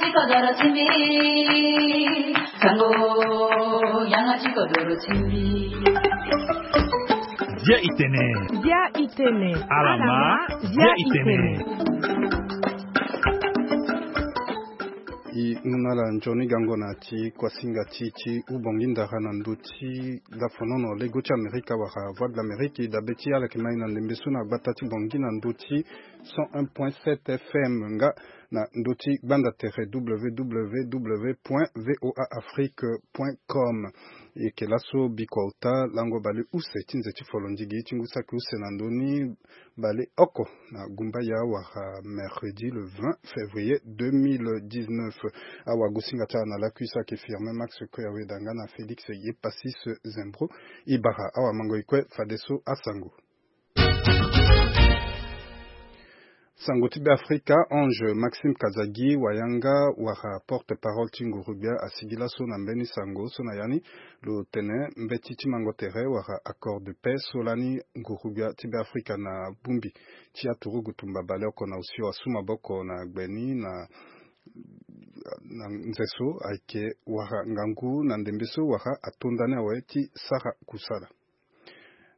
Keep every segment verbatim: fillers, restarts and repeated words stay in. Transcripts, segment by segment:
Tikodoro ti mbi, sango, yanga tikodoro ti mbi. Dia itene. Dia itene. Alama, dia itene. I hunda ala nzoni gango na ti kuasinga ti ti ubongi ndara na ndö ti lafonono lego ti Amerika wala Voix de l'Amérique. I dabe ti ala yeke ma e na ndembe so na gbata ti Bangui na ndö ti cent un point sept F M nga na ndö ti gbanda tere W W W point V O A Afrique point com. E yeke laso bikua ota lango baleuse ti nze ti folondigi ti ngu saki use na ndö ni baleoko na gumbaya wala mercredi le vingt février deux mille dix-neuf. Awagosinga ti ala na lakui so ayeke Firmin Max Koyaweda nga na Félix Yepassis Zembro. E bara awamango e kue fadeso asango. Sango ti Beafrika, Ange Maxime Kazadi, wayanga wala porte-parole ti nguru-gbia, asigi laso na mbeni sango so na ya ni lo tene mbeti ti mango tere wala accord de paix so lani nguru-gbia ti Beafrika na bongbi ti aturugu tumba baleoko na osio asu maboko na gbe ni na na nze so ayeke wala ngangu na ndembe so wala atonda ni awe ti sara kusala.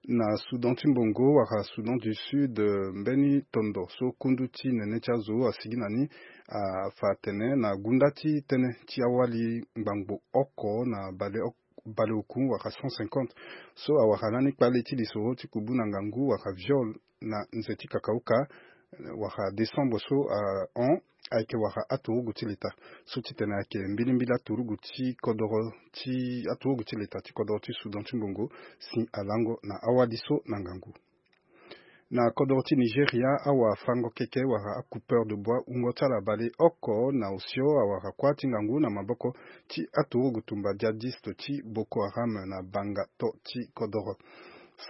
Na Soudan ti mbongo wala Soudan du Sud, eh, mbeni tondo so kundu ti nene ti azo asigi na ni afa atene na gunda ti tënë ti awali ngbangbo oko na baleoko baleoku wala cent cinquante so awara lani kpale ti lisoro ti kubu na ngangu wala viol na nze ti kakauka, eh, wala décembre so ahon ayeke wara aturugu ti leta so titene ayeke mbilimbili aturugu ti kodoro ti aturugu ti leta ti kodoro ti Soudan ti mbongo si alango na awali so na ngangu. Na kodoro ti Nigeria, awafango keke wala acoupeur de bois wungo ti ala baleoko na osio awara kuâ ti ngangu na maboko ti aturugu tumba djihadiste ti Boko Haram na banga to ti kodoro.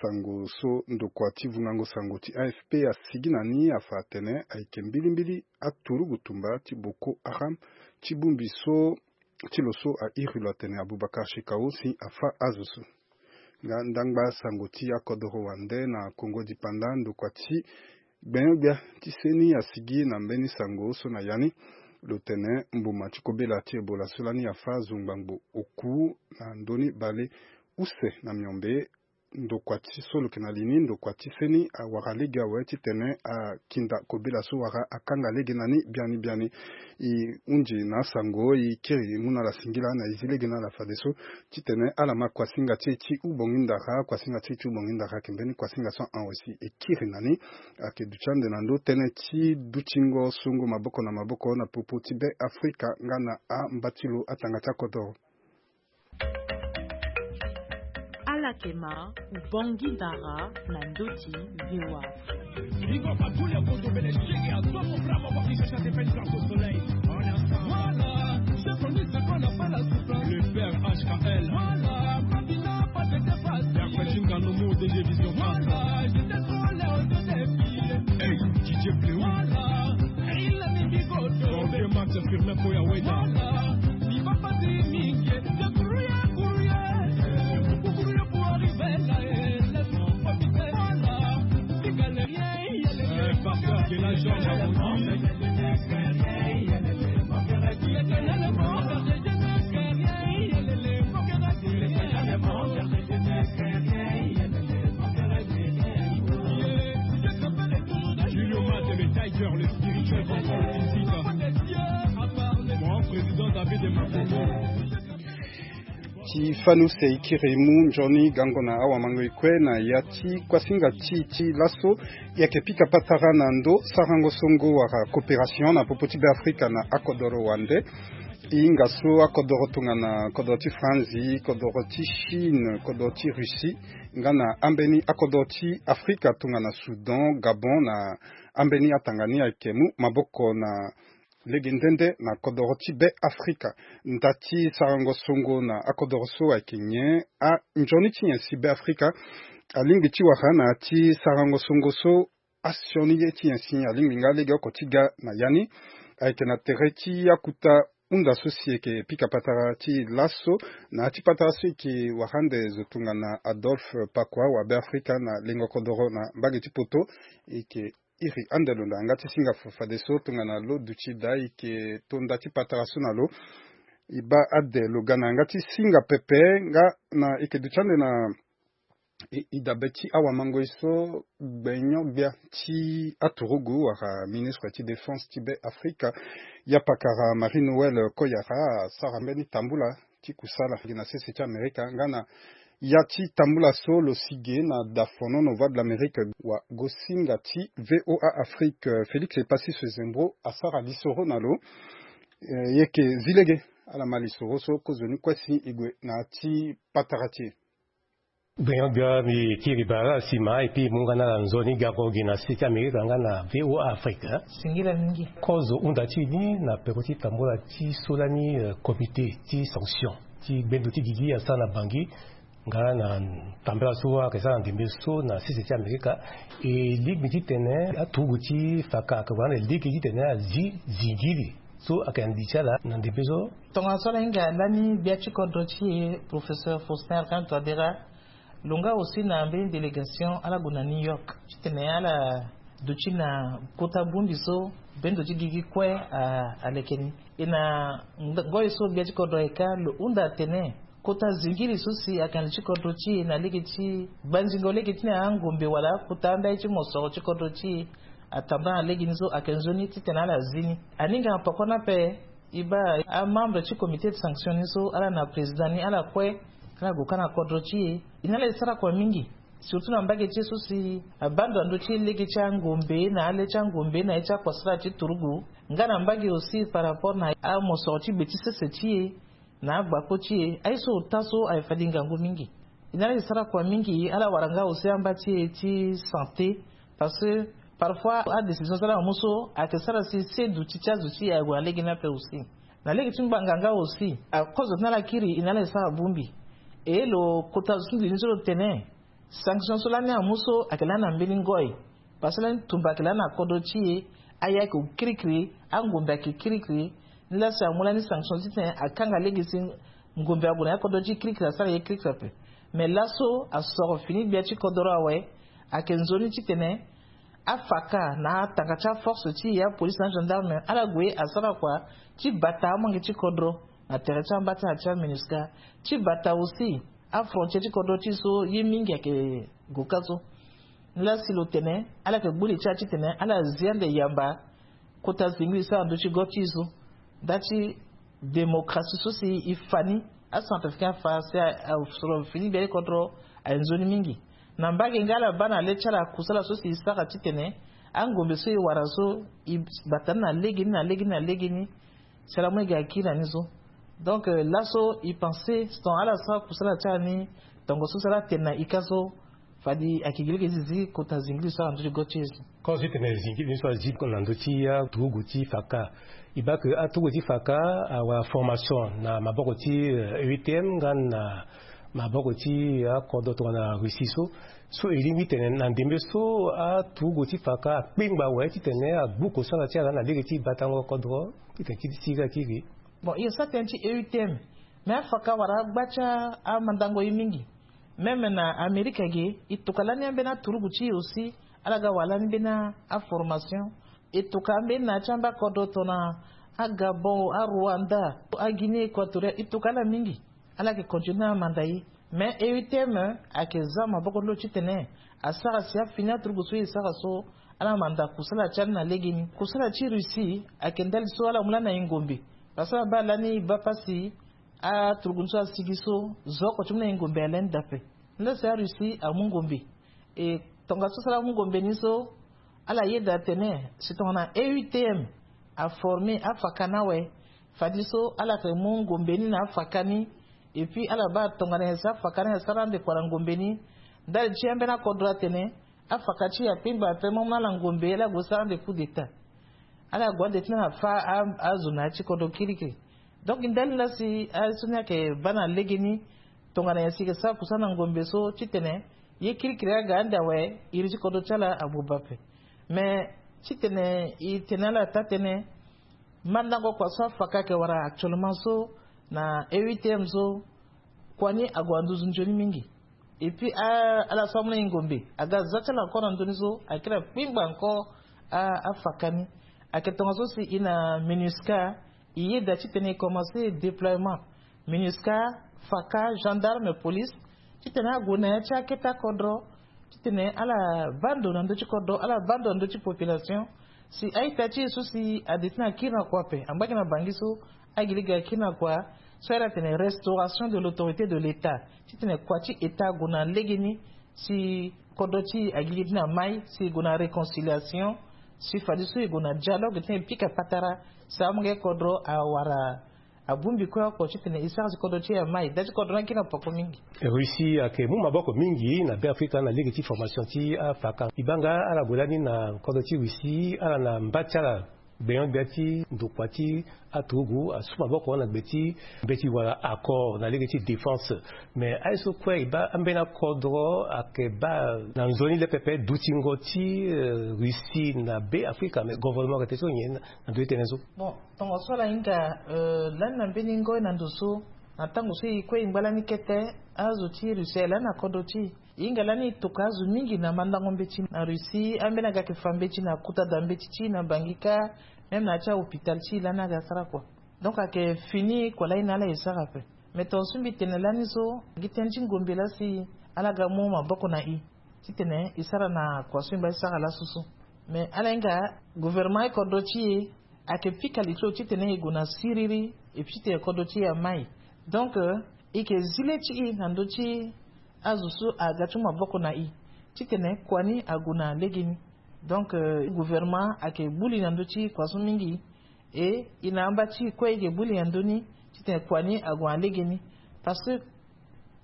Sango so ndokua ti vungango sango ti A F P asigi na ni afa atene ayeke mbilimbili aturugu tumba ti Boko Haram ti bongbi so ti lo so airi lo atene Abubakar Shekau si afa azo so. Nga ndangba sango ti akodoro wande na Kongo Dipanda, ndokua ti gbenyo-gbia ti seni asigi na mbeni sango so na ya ni lo tene mbuma ti kobela ti Ebola so lani afa azo ngbangbo oku na ndö ni baleuse na miombe. Ndokua ti so lo yeke na li ni, ndokua ti seni awara lege awe titene akinda kobela so wala akanga lege na ni biani biani. E hunzi na asango, e kiri mu na ala singila na e zi lege na ala fadeso titene ala ma kuasinga ti e ti ubongi ndara. Kuasinga ti e ti ubongi ndara ayeke mbeni kuasinga so ahon si e kiri na ni ayeke duti ande na ndö tënë ti dutingo songo maboko na maboko na popo ti Beafrika nga na amba ti lo atanga ti akodoro. Ala yeke ma ubongi ndara na ndö ti V O A. Voilà, chef, on dit ce qu'on appelle la souffrance. Le père H K L. Voilà, Babila, pas de dépasse. Père Fatim Kanomo, D G Vision. Voilà, j'étais trop laid aux yeux des filles. Hey, D J Bleu. Voilà, il a mis bigoto. Bon, deux matchs, Firmin Koya Weda. Voilà, il va pas dire mingi. Débrouille, débrouille. Débrouille pour arriver là, eh, laisse-moi profiter. Voilà, les galériens. Euh, par cœur, Guéla Georges a vendu. Julio Mate, le Tiger, le spirituel contrôle physique. Mon président David Makoto. Ti fani use e kiri mu nzoni gango na awamango e kue na ya ti kuasinga ti e ti laso. E yeke pika patara na ndö sarango songo wala coopération na popo ti Beafrika na akodoro wande. E hinga so akodoro tongana kodoro ti Franzi, kodoro ti Chine, kodoro ti Russie nga na ambeni akodoro ti Afrika tongana Soudan, Gabon na ambeni atanga ni ayeke mu maboko na lege nde nde na kodoro ti Beafrika. Nda ti sarango songo na akodoro so ayeke nyen? Anzoni ti nyen si Beafrika alingbi ti wara na ya ti sarango songo so? Asioni ye ti nyen si alingbi nga legeoko ti ga na ya ni? Ayeke na tere ti akuta hunda so si e yeke pika patara ti laso na ya ti patara so e yeke wara ande zo tongana Adolphe Pakua wa Beafrika na lengo kodoro na mbage ti poto. E yeke Iri ande lo na yanga ti singa fadeso tongana lo duti daa e yeke to nda ti patara so na lo. E baa ade lo ga na yanga ti singa pepe nga na e yeke duti ande na e dabe ti awamangoi so gbenyo-gbia ti aturugu wala ministre ti défense ti be afrika, ya pakara Marie Noël Koyara, asara mbeni tambula ti kusala gi na sese ti Amerika nga na ya ti tambula so lo si ge na dafonono Voix de l'Amérique wa gosinga ti VOA Afrique, Félix Epassi Sezembro asara lisoro na lo. Eh, yeke zi lege ala ma lisoro so kozoni kue si e gue na ya ti patara ti e. Gbenyo-gbia, mbi kiri bara ala sima et puis mu nga na ala nzoni gango gi na sese ti Amerika nga na VOA Afrique. Singila mingi. Kozo hunda ti e ni na peko ti tambula ti so lani, eh, comité ti sanction ti gbendo ti gigi asara na Bangui nga na tambula so ayeke sara na ndembe so na sese ti Amerika. E lingbi titene aturugu ti faka ayeke wara na e lege titene azi zingiri so ayeke na li ti ala na ndembe so. Tongana so ala hinga lani gbia ti kodro ti e, professeur Faustin Archange Touadéra, lo nga aussi na mbeni délégation ala gue na New York titene ala duti na kota bongbi so gbendo ti gigi kue a, aleke ni. E na ngoi so gbia ti kodro ayeke, lo hunda atene kota zingiri so si ayeke na li ti kodro ti e na lege ti banzingo lege ti ni angombe wala akota andai ti mosoro ti kodro ti e atambula na legeni so ayeke nzoni titene ala zi ni. Aninga na poko ni ape, e baa amembre ti comité de sanction ni so ala na président ni ala kue, ala gue kâ na kodro ti e. E na ala e sara kua mingi, surtout na mbage ti e so si abaa ndo na ndö ti lege ti angombe na ale ti angombe na ye ti akusala ti turugu, nga na mbage aussi par rapport na amosoro ti gbe ti sese ti e na agbako ti e, aye so ota so aye fade ngangu mingi. E na ala e sara kua mingi, ala wara nga aussi amba ti e ti santé, parce que parfois adécision so ala mu so ayeke sara si se duti ti azo ti e ague na lege ni ape aussi. Na lege ti ngbanga nga aussi, akozo ti na ala kiri e na ala e sara bongbi. E lo kota zo ti mbi ni so lo tene sanction so lani amu so ayeke lani na mbeni ngoi. Parce que lani tumba ayeke lani na kodro ti e, aya ayeke kirikiri, angombe ayeke kirikiri. Ni laa si amu lani sanction titene akanga lege si ngombe ague na ya kodro ti e kirikiri, asara ye kirikiri ape. Mais laso asoro fini gbia ti kodro awe, ayeke nzoni titene afaka na atanga ti aforce ti e, apolice na agendarme, ala gue asara kua ti bata amange ti kodro na tere ti amba ti na ti aminusca, ti bata aussi afrontière ti kodro ti e so ye mingi ayeke gue kâ so. Ni laa si lo tene ala yeke gbu li ti ala titene ala zi ande yamba kota zingili so na ndö ti go ti e so. Nda ti démocratie so si e fa ni, acentrafricain afa si asoro fini gbia ti kodro aye nzoni mingi. Na mbage nga ala baa na le ti ala kusala so si e sara titene angombe so e wara so e bata ni na legeni na legeni na legeni. Si ala mu ege akiri na ni so. Donc, euh, laso e pense si tongana ala sara kusala ti ala ni, tongo so si ala tene na ika so, fade ayeke gi lege zizi kota zingili so ala na ndö ti go ti e so. Kozo ti tene zingili ni so azi na ndö ti aturugu ti faka. E baa ke aturugu ti faka awara formation na maboko ti, euh, E U T M nga na maboko ti akodro tongana Russie so. So e lingbi tene na ndembe so aturugu ti faka akpengba awe titene agbu kosala ti ala na lege ti batango kodro titene ti ti ga kiri. Bon, e sa tënë ti E U T M. Mais afaka wala agba ti amandango ye mingi. Même na Amérique ge, e toka lani ambeni aturugu ti e aussi, ala ga wara lani mbeni aformation. E toka ambeni na ya ti amba kodro tongana aGabon, aRwanda, aGuinée Équatoriale, e toka ala mingi. Ala yeke continuer na amanda ye. Mais E U T M ayeke za maboko ti lo titene asara si afini aturugu so e sara so, ala manda kusala ti ala na legeni. Kusala ti Russie ayeke ndali so ala mu lani na e ngombe. Parce que ala baa lani e baa pasi, aturugu ni so asigi so, zo oko ti mu na e ngombe aya lani dape. Ni laa si aRussie amu ngombe. E tongaso so ala mu ngombe ni so, ala yeda atene si tongana E U T M aforme afaka ni awe, fade so ala yeke mu ngombe ni na afaka ni. Et puis ala baa tongana nyen si afaka ni asara ande kua na ngombe ni. Ndali ti ambeni akodro atene afaka ti e akpengba ape, mo mu na ala ngombe, ala gue sara ande coup d'état. Ala gue ande ti na ala fâ a, azo na ya ti kodro kirikiri. Donc ndali laa si aye so ni ayeke baa na legeni, tongana nyen si e yeke sara kusala na ngombe so titene ye kirikiri aga ande awe, iri ti kodro ti ala abuba ape. Mais titene e tene ala taa-tënë, mandango kua so afaka ayeke wara actuellement so na E U T M so, kua ni ague na nduzu nzoni mingi. Et puis a, ala so amu na e ngombe aga za ti ala encore na ndö ni so, akiri akpengba encore afaka ni. Ayeke tongaso si e na MINUSCA, e yeda titene e commence déploiement MINUSCA, faka, gendarme, police, titene ague na ya ti akete akodro, titene ala baa ndo na ndö ti kodro, ala baa ndo na ndö ti population. Si a-ita ti e so si ade ti na kiri na kua ape, angba gi na bangi so, agi lege akiri na kua, so ala tene restauration de l'autorité de l'État, titene kua ti État ague na legeni, si kodro ti e agi lege ti na mai, si e gue na réconciliation, si fadeso e gue na dialogue titene e pika patara, si amonge kodro awara abongbi kue oko titene e sara si kodro ti e amai. Da ti kodro ni akiri na poko mingi. Russie ayeke mu maboko mingi na Beafrika na lege ti formation ti afaka. E baa nga ala gue lani na kodro ti Russie, ala na mba ti ala gbenyo-gbia ti ndokua ti aturugu asu maboko na gbe ti mbeti wala accord na lege ti défense. Mais aye so kue e baa ambeni akodro ayeke baa na nzoni le pepe dutingo ti, eh, Russie na Beafrika, mais gouvernement ayeke tene so nyen na ndö ti tënë so? Bon, tongaso ala hinga, eh, lani na mbeni ngoi na ndo so, na tango so e kue e ngba lani kete, azo ti Russie aye lani na kodro ti e. E hinga lani e tokua azo mingi na mandango mbeti na Russie, ambeni aga ayeke fa mbeti na kota da mbeti ti e na bangi kâ, même na ya ti ahôpital ti e lani aga asara kua. Donc ayeke fini kua lani na ala e sara ape. Mais tongaso mbi tene lani so, gi tënë ti ngombe laa si ala ga mu maboko na e titene e sara na kua so e ngba ti sara laso so. Mais ala hinga gouvernement ti kodro ti e ayeke pika li ti lo titene e gue na siriri, et puis titene kodro ti e amai. Donc, euh, e yeke zi le ti e na ndö ti azo so aga ti mu maboko na e titene kua ni ague na legeni. Donc, euh, gouvernement ayeke gbu li na ndö ti kua so mingi. E, e na amba ti e kue e yeke gbu li na ndö ni titene kua ni ague na legeni. Parce que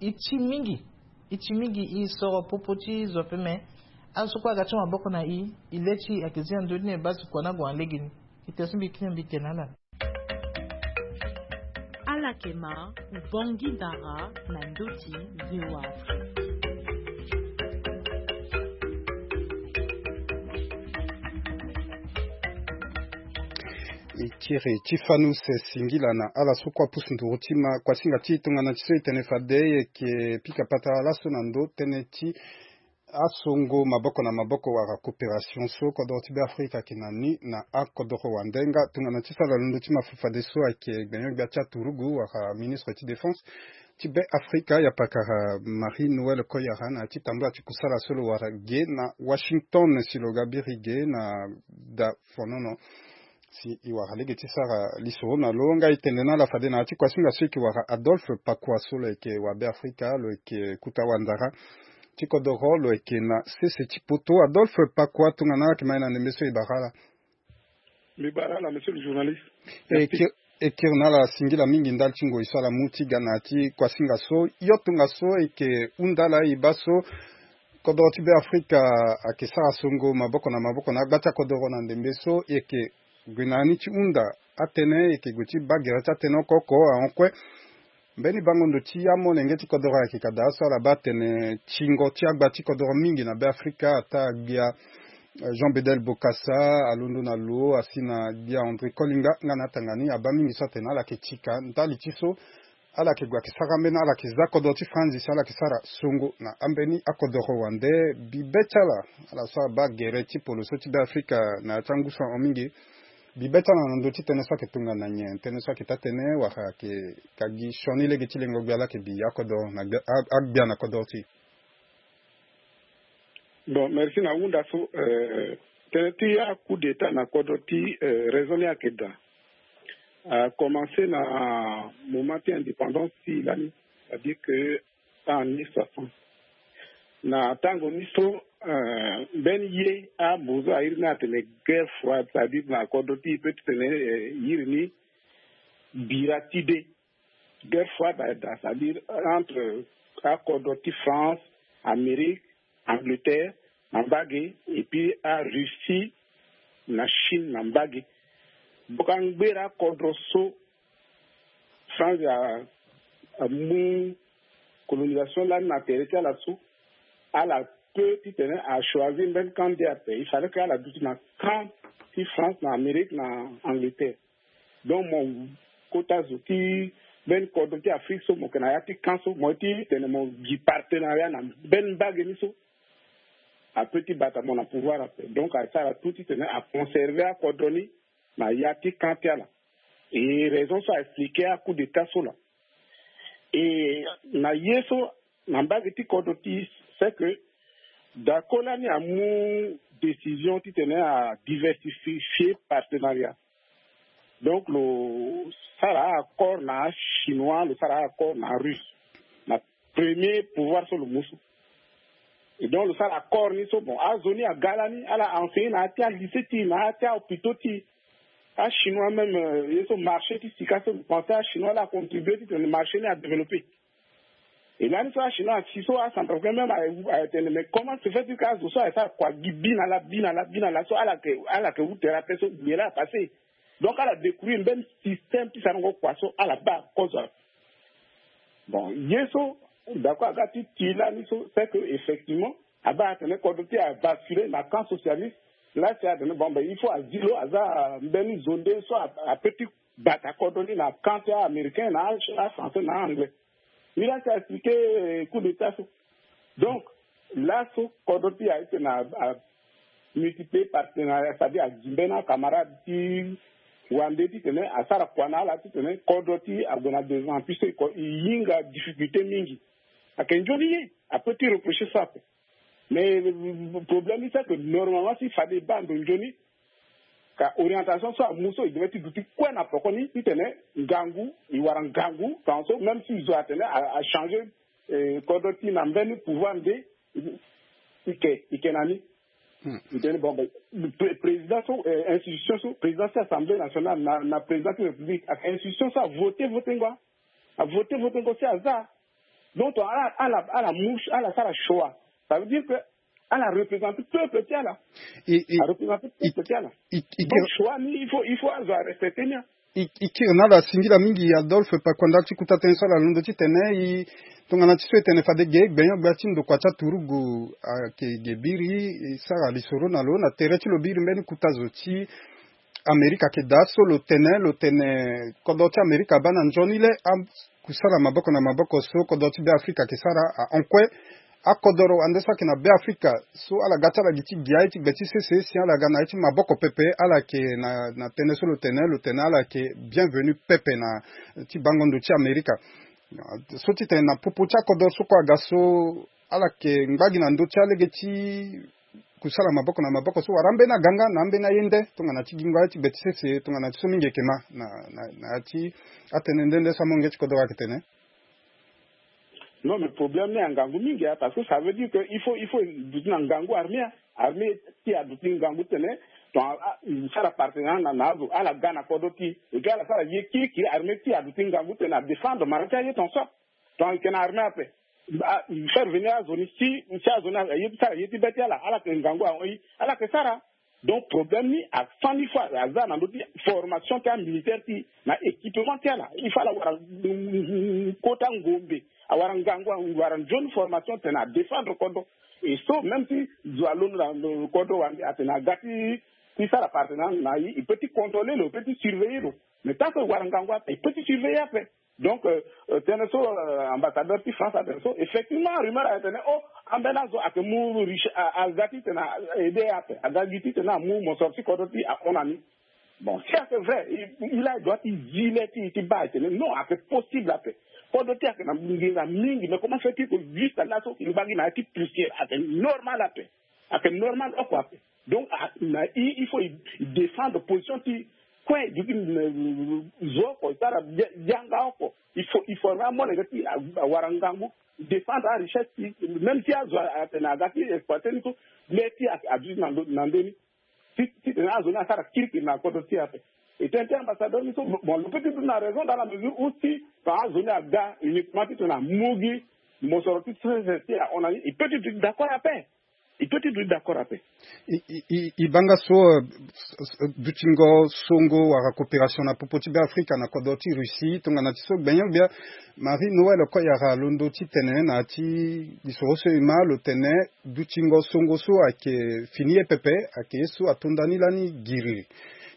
e ti mingi, e ti mingi, e soro popo ti zo ape, mais azo so kue aga ti mu maboko na e, e le ti e ayeke zi na ndö ni e baa si kua ni ague na legeni. E tene so mbi kiri na mbi tene na ala. Ala yeke ma Bangui Dara na ndö ti V O A Afrique. E kiri ti fanu se singila na ala so kue apusu nduru ti ma kuasinga ti tongana ti so e tene fade e yeke pika patara laso na ndö tënë ti asongo maboko na maboko wala coopération so kodoro ti Beafrika ayeke na ni na akodoro wande. Nga tongana ti sara londo ti mafafadeso ayeke gbenyo-gbia ti aturugu wala ministre ti défense ti Beafrika, ya pakara Marie Noël Koyara, na ya ti tambula ti kusala so lo wara ge na Washington si lo ga biri ge na da fonono. Si e wara lege ti sara lisoro na lo, nga e tene na ala fade na ya ti kuasinga so e yeke wara Adolphe Pakua so lo yeke wa Beafrika, lo yeke kuta wandara ti kodoro, lo yeke na sese ti poto. Adolphe Pakua, tongana ala yeke ma e na ndembe so e bara ala. Mbi bara ala, monsieur le journaliste. E kiri na ala singila mingi ndali ti ngoi so ala mu ti ga na ya ti kuasinga so. Yo tongaso e yeke hunda laa e baa so kodoro ti Beafrika ayeke sara songo maboko na maboko na agba ti akodoro na ndembe so, e yeke gue na ya ni ti hunda atënë, e yeke gue ti baa gere ti atënë oko oko ahon kue. Mbeni bango ndo ti amolenge ti kodoro ayeke ka daa so ala baa atene tingo ti agba ti kodoro mingi na Beafrika, ataa gbia, eh, Jean Bedel Bokassa, alondo na lo asi na gbia André Kolinga nga na atanga ni, abaa mingi so atene ala yeke tika ndali ti so ala yeke gue ayeke sara ambeni, ala yeke za kodoro ti Franzi si ala yeke sara songo na ambeni akodoro wande. Bibe ti ala, ala so abaa gere ti polo so ti Beafrika na ya ti angu so ahon mingi, bibe ti ala na ndö ti tënë so ayeke tongana nyen? Tënë so ayeke taa tënë wala ayeke ka gi sioni lege ti lengo gbia laa ayeke bi akodoro na gbia, a, agbia na kodoro ti e? Bon, merci na hunda so, euh, tënë ti a coup d'état na kodro ti, euh, raison ni ayeke daa. A commencé na moment ti indépendance ti e lani, c'est-à-dire que en mille neuf cent soixante. Na tango ni so, euh, mbeni ye ambozo airi ni atene guerre froide, c'est-à-dire na kodro ti e peut ti tene, euh, iri ni bira ti be. Guerre froide, c'est-à-dire entre akodro ti France, Amérique, Angleterre na mbage, et puis a Russie na Chine na mbage. Donc angbera akodro so France a, amu colonisation lani na tere ti ala so, ala peut ti tene a choisir mbeni camp nde ape. Il fallait que ala duti na camp ti France na Amérique na Angleterre. Donc mo kota zo ti mbeni kodro ti Afrique so, mo yeke na ya ti camp so, mo ye ti tene mo gi partenariat na mbeni mbage ni so. ape ti bata mo na pouvoir ape. Donc asara tout titene aconserve akodro ni na ya ti camp ti ala. E raison so a expliquer a coup d'état so laa. E na ye so na mbage ti kodro ti, c'est que Daco lani amu décision titene adiversifier partenariat. Donc lo sara accord na achinois, lo sara accord na arusse, na premier pouvoir so lo mu so. E donc lo sara accord ni so, bon, azo ni aga lani ala enseigner na ya ti alycée ti e, na ya ti ahôpitaux ti e. Achinois même, ye so marché ti sika so lo pense achinois la acontribuer titene marché ni adévelopper. E lani so achinois asi so acentrafricain même aye tene mais comment se fait-il que azo so aye sara kua gi bi na laa, bi na laa, bi na laa so ala yeke, ala yeke wu tere ape so nyen laa apasse? Donc ala découvrir mbeni système ti sarango kua so ala baa kozo ape. Bon, ye so Daco aga ti ti lani so, c'est que effectivement abaa atene kodro ti e abasculer na camp socialiste. Laa si atene bon ben il faut azi lo aza mbeni zo nde so ape ti bata kodro ni na camp ti américain na afrançais na anglais. Ni laa si a expliquer coup d'état so. Donc laso kodro ti e aye titene amultiplier partenariat, c'est-à-dire azi mbeni acamarade ti wande titene asara kua na ala titene kodro ti e ague na devant puisque e hinga difficulté mingi. Ayeke nzoni ye ape ti reprocher so ape. Mais problème ni c'est que normalement si fade e baa ndo nzoni, ka orientation so amu so e devait ti duti kue na poko ni titene ngangu, e wara ngangu tongaso, même si zo atene achanger kodro ti e na mbeni pouvoir nde, e ke, e ke na ni. E tene bon ben président so, institution so, président ti assemblée nationale na président ti république, ayeke institution so avoter votengo, avoter votengo si aza. Donc ala ala ala mu ala sara choix. Ça veut dire que ala représenter peuple ti ala. Areprésenter peuple ti ala. Donc choix ni il faut il faut azo arespecter ni. E kiri na ala singila mingi Adolphe Pakwanda ti kuta tënë so ala londo titene e tongana ti so e tene fade ge gbenyo-gbia ti ndokua ti aturugu ayeke ge biri e sara lisoro na lo na tere ti lo biri mbeni kuta zo ti Amerika ayeke daa so lo tene lo tene kodro ti Amerika abaa na nzoni le akusala maboko na maboko so kodro ti Beafrika ayeke sara ahon kue. Akodoro wande so ayeke na Beafrika so ala ga ti ala gi ti gi aye ti gbe ti sese si ala ga na aye ti maboko pepe ala yeke na na tënë so lo tene lo tene ala yeke bienvenu pepe na ti bango ndo ti Amerika. So titene na popo ti akodoro so kue aga so ala yeke ngba gi na ndö ti alege ti kusala maboko na maboko so wala ambeni aganga na ambeni aye nde tongana ti gingo aye ti gbe ti sese tongana ti so mingi eke ma na na na ya ti atënë nde nde so amolenge ti kodoro ayeke tene. Non mais problème ni angangu mingi hein, parce que ça veut dire que il faut il faut duti na ngangu armée hein. Armée ti aduti ngangu tene ton sara partenariat na na azo ala ga na kodro ti e ga ala sara ye kirikiri armée ti aduti ngangu tene adéfendre mara ti aye ton so ton ayeke na armée ape. Faire venir azo ni si si azo ni aye ti sara ye ti be ti ala ala yeke ngangu ahon i ala yeke sara. Donc problème ni afani fois aza na ndö ti formation ti amilitaire ti na équipement ti ala il faut ala wara kota ngombe awara ngangu awara nzoni formation tene adéfendre kodro. Et so même si zo alondo na kodro wande atene aga ti ti sara partenariat na i i peut ti contrôler lo i peut ti surveiller lo. Mais tant que wara ngangu ape i peut ti surveiller ape. Donc tënë so ambassadeur ti France atene so effectivement rumeur ayeke tene o ambeni azo ayeke mu riche aza titene aide ape aza gi titene amu mosoro ti kodro ti ahon na ni. Bon si ayeke vrai il a droit ti zi le ti ti baa ayeke tene non ayeke possible ape. Kodro ti ayeke na nginza mingi mais comment fait ti ko juste laso ngba gi na ya ti poussière ayeke normal ape. Ayeke normal oko ape. Donc na i il faut i défendre position ti kue duti zo oko i sara yanga oko. Il faut i forme amolenge ti awara ngangu défendre arichesse ti même si azo atene aga ti exploiter ni so le ti aduti na ndö ni. Titene azo ni asara kirikiri na kodro ti ape. E tene ti ambassadeur ni so bon lo peut ti duti na raison dans la mesure où si ton azo ni aga uniquement titene amu gi mosoro ti sese ti ahon na ni i peut ti duti d'accord ape. I peut ti duti d'accord ape. I banga so dutingo songo wala coopération na popo ti Beafrika na kodro ti Russie tongana ti so gbenyo-gbia Marie Noël Koyara alondo ti tene na ya ti lisoro so e ma lo tene dutingo songo so ayeke fini ye pepe ayeke ye so atonda ni lani giriri.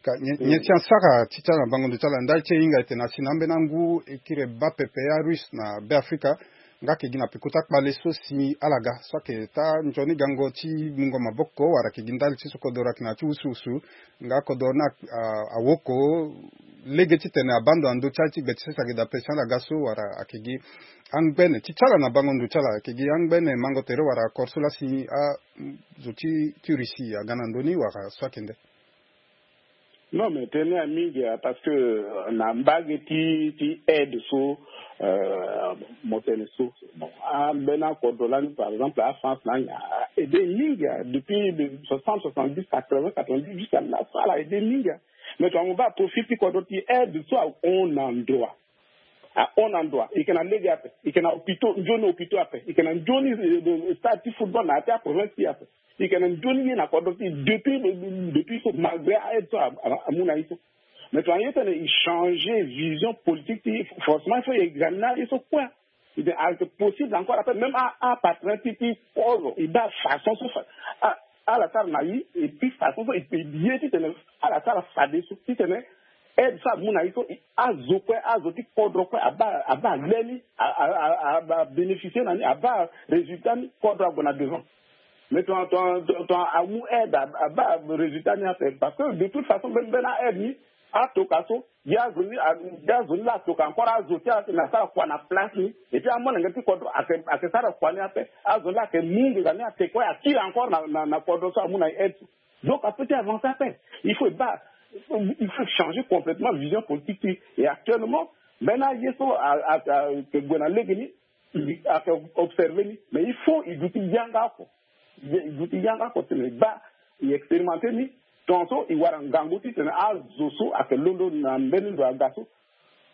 Ka nyen ti asara ti ti ala na bango ndo ti ala ndali ti e hinga e tene asi na ambeni angu e kiri e baa pepe arusse na Beafrika. Nga ayeke gi na peko ti akpale so si ala ga so ayeke taa nzoni gango ti mungo maboko wala ayeke gi ndali ti so kodoro ayeke na ya ti wusuwusu. Nga kodoro ni a, a, awoko lege titene abaa ndo na ndö ti ala ti gbe ti sese ayeke daa pe si ala ga so wala ayeke gi angbene ti ti ala na bango ndo ti ala ayeke gi angbene mango tere wala akore so laa si azo ti ti Russie aga na ndö ni wala so ayeke nde? Non, mais tene ya mingi ya parce que euh, na mbage ti ti aide so euh, mo tene so bon, ambeni akodro lani par exemple a France na anga a aide mingi ya depuis de soixante, soixante-dix, quatre-vingts, quatre-vingt-dix jusqu'à la fin a aide mingi ya. Mais tongana mo baa profil ti kodro ti aide so ahon na ndo wa ahon na ndo wa e yeke na lege ape, e yeke na hôpitaux, nzoni hôpitaux ape, e yeke na nzoni euh, stade ti football na ya ti aprovince ti e ape. E yeke na nzoni ye na kodro ti e depuis depuis so malgré a aide so amu na ye so. Mais tongana ye tene e changer vision politique ti e, forcément il faut e examiner aye so kue. Ayeke possible encore après même a partenaire ti ti kodro e baa façon so ala sara na ye et puis façon so e ye titene ala sara fadeso titene aide so amu na ye so azo kue, azo ti kodro kue abaa abaa le ni, abaa bénéficier na ni, abaa résultat ni, kodro ague na devant. Mais ton ton ton amu aide abaa résultat ni ape parce que de toute façon mbeni mbeni a aide ni atoka so ye azo ni ye azo ni laa atoka encore azo ti ala tene asara kua na place ni et puis amolenge ti kodro ayeke ayeke sara kua ni ape. Azo ni laa ayeke mu nginza ni ate kue akiri encore na na na kodro so amu na ye aide so. Donc ape ti avancer ape. Il faut e baa il faut changer complètement vision politique ti e. Et actuellement mbeni aye so a a a yeke gue na lege ni i ake observer ni mais il faut i duti yanga oko. I duti yanga oko tene i baa i expérimenter ni. Tongaso i wara ngangu titene azo so ake londo na mbeni ndo aga so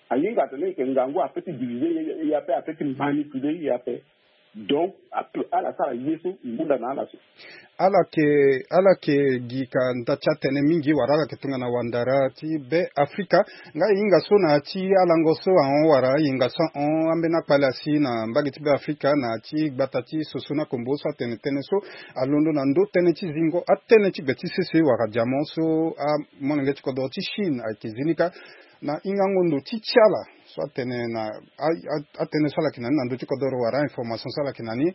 ahinga tene i yeke ngangu ape ti diviser i ape ape ti manipuler i ape. Donc ape ala sara ye so i hunda na ala so. Ala yeke ala yeke gi ka nda ti atene mingi wala ala yeke tongana wandara ti be afrika. Nga e hinga so na ya ti alango so ahon wala ahinga so ahon ambeni akpale asi na mbage ti be afrika na ya ti gbata ti soso na kombo so atene tënë so alondo na ndö tënë ti zingo atënë ti gbe ti sese wala diamant so amolenge ti kodoro ti chine ayeke zi ni kâ. Na hingango ndo ti ti ala so atene na atënë so ala yeke na ni na ndö ti kodoro wala information so ala yeke na ni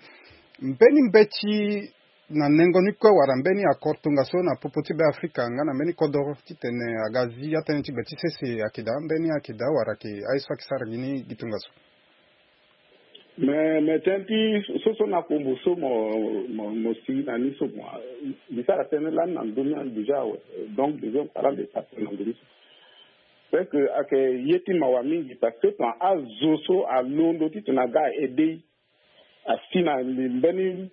mbeni mbeti na nengo ni kue wala mbeni accord tongaso na popo ti be afrika nga na mbeni kodoro titene aga zi atënë ti gbe ti sese ayeke daa mbeni ayeke daa wala ayeke aye so ayeke sara gi ni gi tongaso. Mais mais tënë ti soso na kombo so mo mo mo si na ni so mo mbi sara tënë lani na ndö ni déjà awe. Donc déjà parlant de ça na ndö ni so. Presque ayeke ye ti mawa mingi parce que tongana azo so alondo titene aga aide i asi na mbeni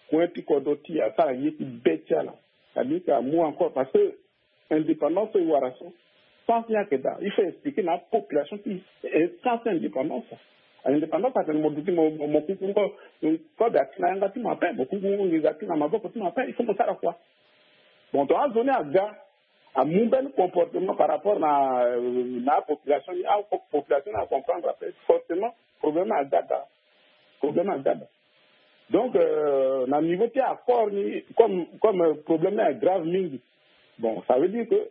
point ti kodro ti e asara ye ti be ti ala. Cetadire que amu encore parce que indépendance so e wara so sens ni ayeke daa il faut expliquer na apopulation ti e sens ti indépendance. Indépendance atene mo duti mo mo kuku ngo kode ati na yanga ti mo ape mo kuku ngo nginza ati na maboko ti mo ape il faut mo sara kua. Bon tongana azo ni aga amu mbeni comportement par rapport na na apopulation ni apopulation ni acomprendre ape forcément problème ni aga daa. Problème ni aga daa. Donc euh, na niveau ti accord ni comme comme euh, problème ni agrave mingi. Bon ça veut dire que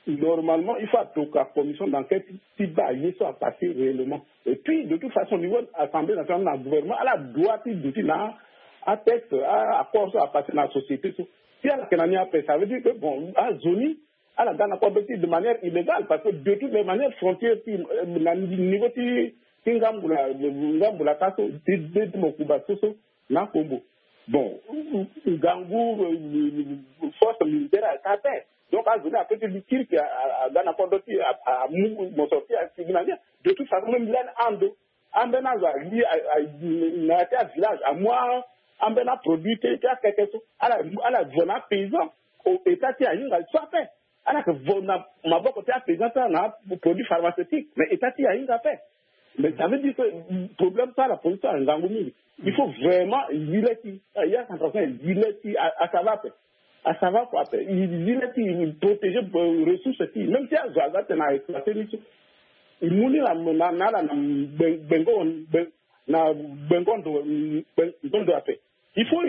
normalement il faut atoka commission d'enquête ti baa ye so apasser réellement et puis de toute façon niveau assemblée nationale na gouvernement ala droit ti duti na atexte accord so apasser na société so. Si ala yeke na ni ape ça veut dire que bon azo ni ala ga na kodro ti de manière illégale parce que de toutes les manières frontières ti na niveau ti ti ngambu la ngambu la ka so ti de ti mokuba so so na kombo. Bon ngangu force militaire aka ape. Donc azo ni ape ti li kirki aga na kodro ti amu mo sorti asigi na ni. De toute façon même lani ando ambeni azo ali na ya ti avillage amu ambeni aproduit ti akeke so ala ala vo na apaysan. État ti ahinga so ape ala yeke vo na maboko ti apaysan ti ala na produit pharmaceutique mais état ti ahinga ape. Mais ça veut dire que problème so ala pose so ala ngangu mingi. Il faut vraiment zi le ti ya centrafricain zi le ti asava ape. Asava kua ape zi le ti protéger ressource ti même si azo aza tene aexploite ni so i mu ni na na ala na gbengo na gbengo ndo gbengo ndo ape. Il faut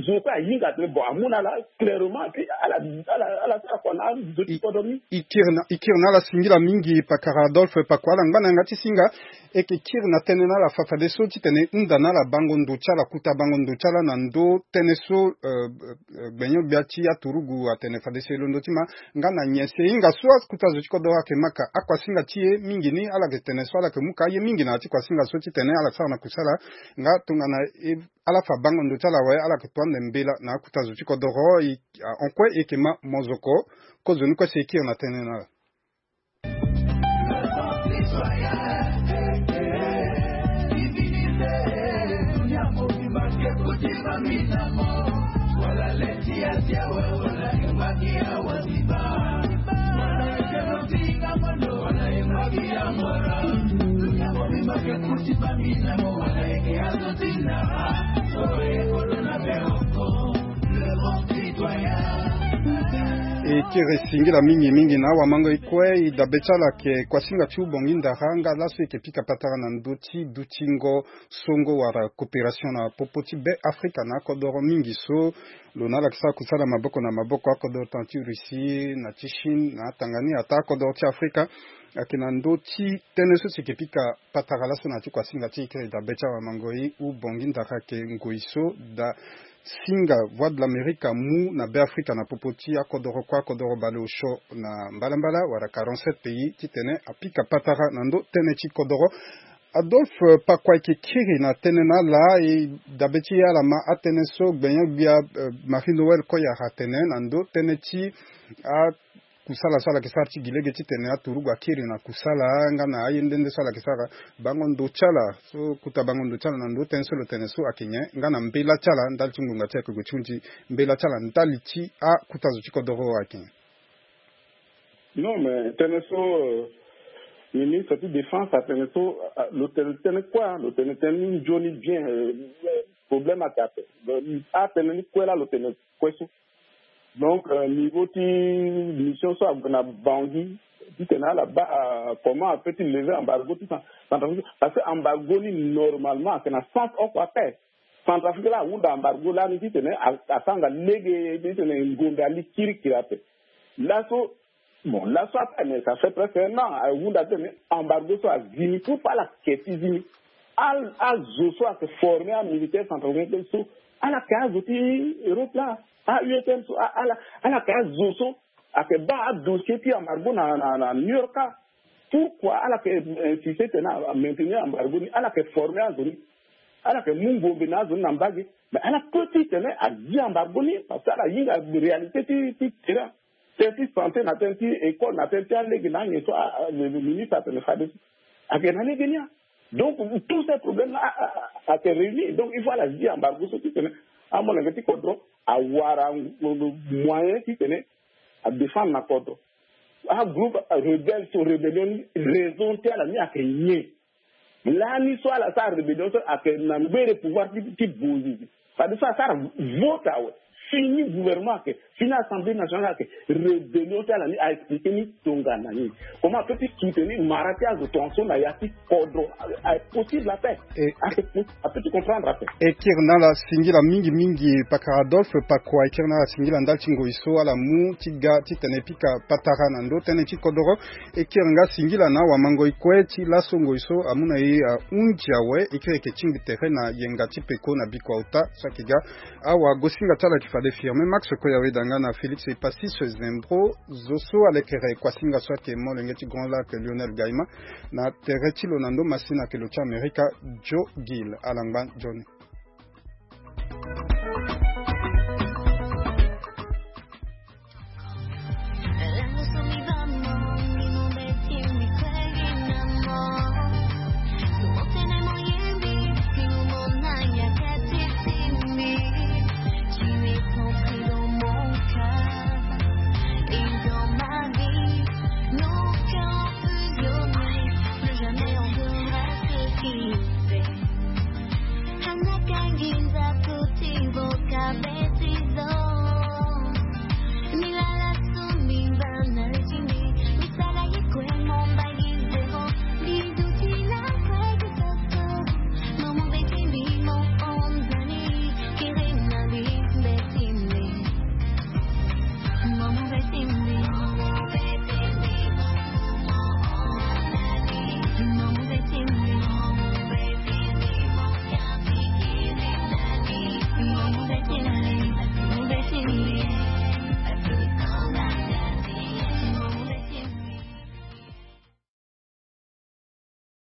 zo kue ahinga tene bon amu na ala clairement puis ala ala ala sara kua na azo ti kodro ni. I kiri na i kiri na ala singila mingi pakara Adolphe Pakoua ala ngba na yanga ti singa. E yeke kiri na tënë na ala fa fadeso titene hunda na ala bango ndo ti ala, kuta bango ndo ti ala na ndö tënë so, eh, eh, gbenyo-gbia ti aturugu atene fadeso e londo ti ma. Nga na nyen si e hinga so akuta zo ti kodoro ayeke ma ka akuasinga ti e mingi ni, ala yeke tene so ala yeke mu ka aye mingi na ya ti kuasinga so titene ala sara na kusala. Nga tongana e, ala fa bango ndo ti ala awe, ala yeke to ande mbela na akuta zo ti kodoro. I, ah, en quoi e yeke ma mozoko? Kozoni kue si e kiri na tënë na ala. E kiri singila mingi mingi na awamango e kue. E dabe ti ala ayeke kuasinga ti Ubongi Ndara, nga laso e yeke pika patara na ndö ti dutingo songo wala coopération na popo ti Be Afrika na akodoro mingi so lo na ala yeke sara kusala maboko na maboko, akodoro tënë ti Russie na ti Chine na atanga ni, ataa akodoro ti Afrika. Ayeke na ndö ti tënë so si e yeke pika patara laso na ya ti kuasinga ti e kiri dabe ti awamango e. Ubongi Ndara ayeke ngoi so da singa Voix de l'Amérique amu na Be Afrika na popo ti akodoro kue, akodoro baleosio na mbalambala wala quarante-sept pays, titene apika patara na ndö tënë ti kodoro. Adolphe Pakua, e yeke kiri na tënë na ala, e dabe ti e ala ma atënë so gbenyo-gbia, eh, Marie Noël Koyara atene na ndö tënë ti a kusala so ala yeke sara ti gi lege titene aturugu akiri na kusala, nga na aye nde nde so ala yeke sara. Bango ndo ti ala so, kuta bango ndo ti ala na ndö tënë so lo tene so ayeke nyen, nga na mbela ti ala ndali ti ngonga ti ayeke gue ti hunzi, mbela ti ala ndali ti akuta zo ti kodoro ayeke nyen? Non, mais tënë so, euh, ministre ti défense atene so, ah, lo tene tënë kue, lo tene tënë ni nzoni bien, euh, problème ayeke ape. Atënë ni kue laa lo tene kue so. Donc, euh, niveau ti mission so ague na Bangui titene ala baa, euh, comment ape ti lever embargo ti Cen-, Centrafrique, parce que embargo ni normalement ayeke na sens oko ape. Centrafrique laa ahunda embargo lani titene a-, asara nga lege titene ngonda li kirikiri ape. Laso, bon, laso ape, mais ça fait presque un an ahunda titene embargo so azi ni. Pourquoi ala ke ti zi ni? Al-, azo so ayeke former amilitaire centrafricain so, ala ke azo ti Europe laa. A-U E T M so, a-, ala, ala ke azo so ayeke baa adossier ti embargo na, na, na New York. Pourquoi ala ke, eh, insiste titene a maintenir embargo ni? Ala ke former azo ni, ala ke mu ngombe na azo ni na mbage. Mais ala peut titene azi embargo ni, parce que ala hinga réalité ti, ti terrain. Tënë ti santé na tënë ti école na tënë ti alege na anyen so, a, a, le, le ministre atene fadeso ayeke na lege ni a. Donc tous ces problèmes là a, a, a, ayeke réunir. Donc il faut ala zi embargo so titene amolenge ti kodro awara moyen titene adéfendre na kodro. Agroupe rebelle so, rébellion ni, raison ti ala ni ayeke nyen? Lani so ala sara rébellion so ayeke na ngbere pouvoir ti, ti Bouazizi. C'est-à-dire so asara vote awe, fini gouvernement ayeke, fini assemblée nationale ayeke, rébellion ti ala ni a expliquer ni tongana nini. Comment apeut ti soutenir mara ti azo tongaso na ya ti kodro? A, a possible ape. E, a, a, apeut ti comprendre ape. E kiri na ala singila mingi mingi, pakara Adolphe Pakua, e kiri na ala singila ndali ti ngoi so ala mu ti ga titene e pika patara na ndö tënë ti kodoro. E kiri nga singila na awamango e kue ti laso ngoi so amu na e ahunzi awe, e kiri e yeke tingbi tere na yenga ti peko na bikua ota so ayeke ga. Awagosinga ti ala ayeke fade Firmin Max Koyaweda nga na Félix Epasis Zembro. Zo so alekere kuasinga so ayeke molenge ti Grand Lac Lionel Gaima. Na tere ti lo na ndo masina ayeke lo ti Amerika, Joe Gill. Ala ngba nzoni.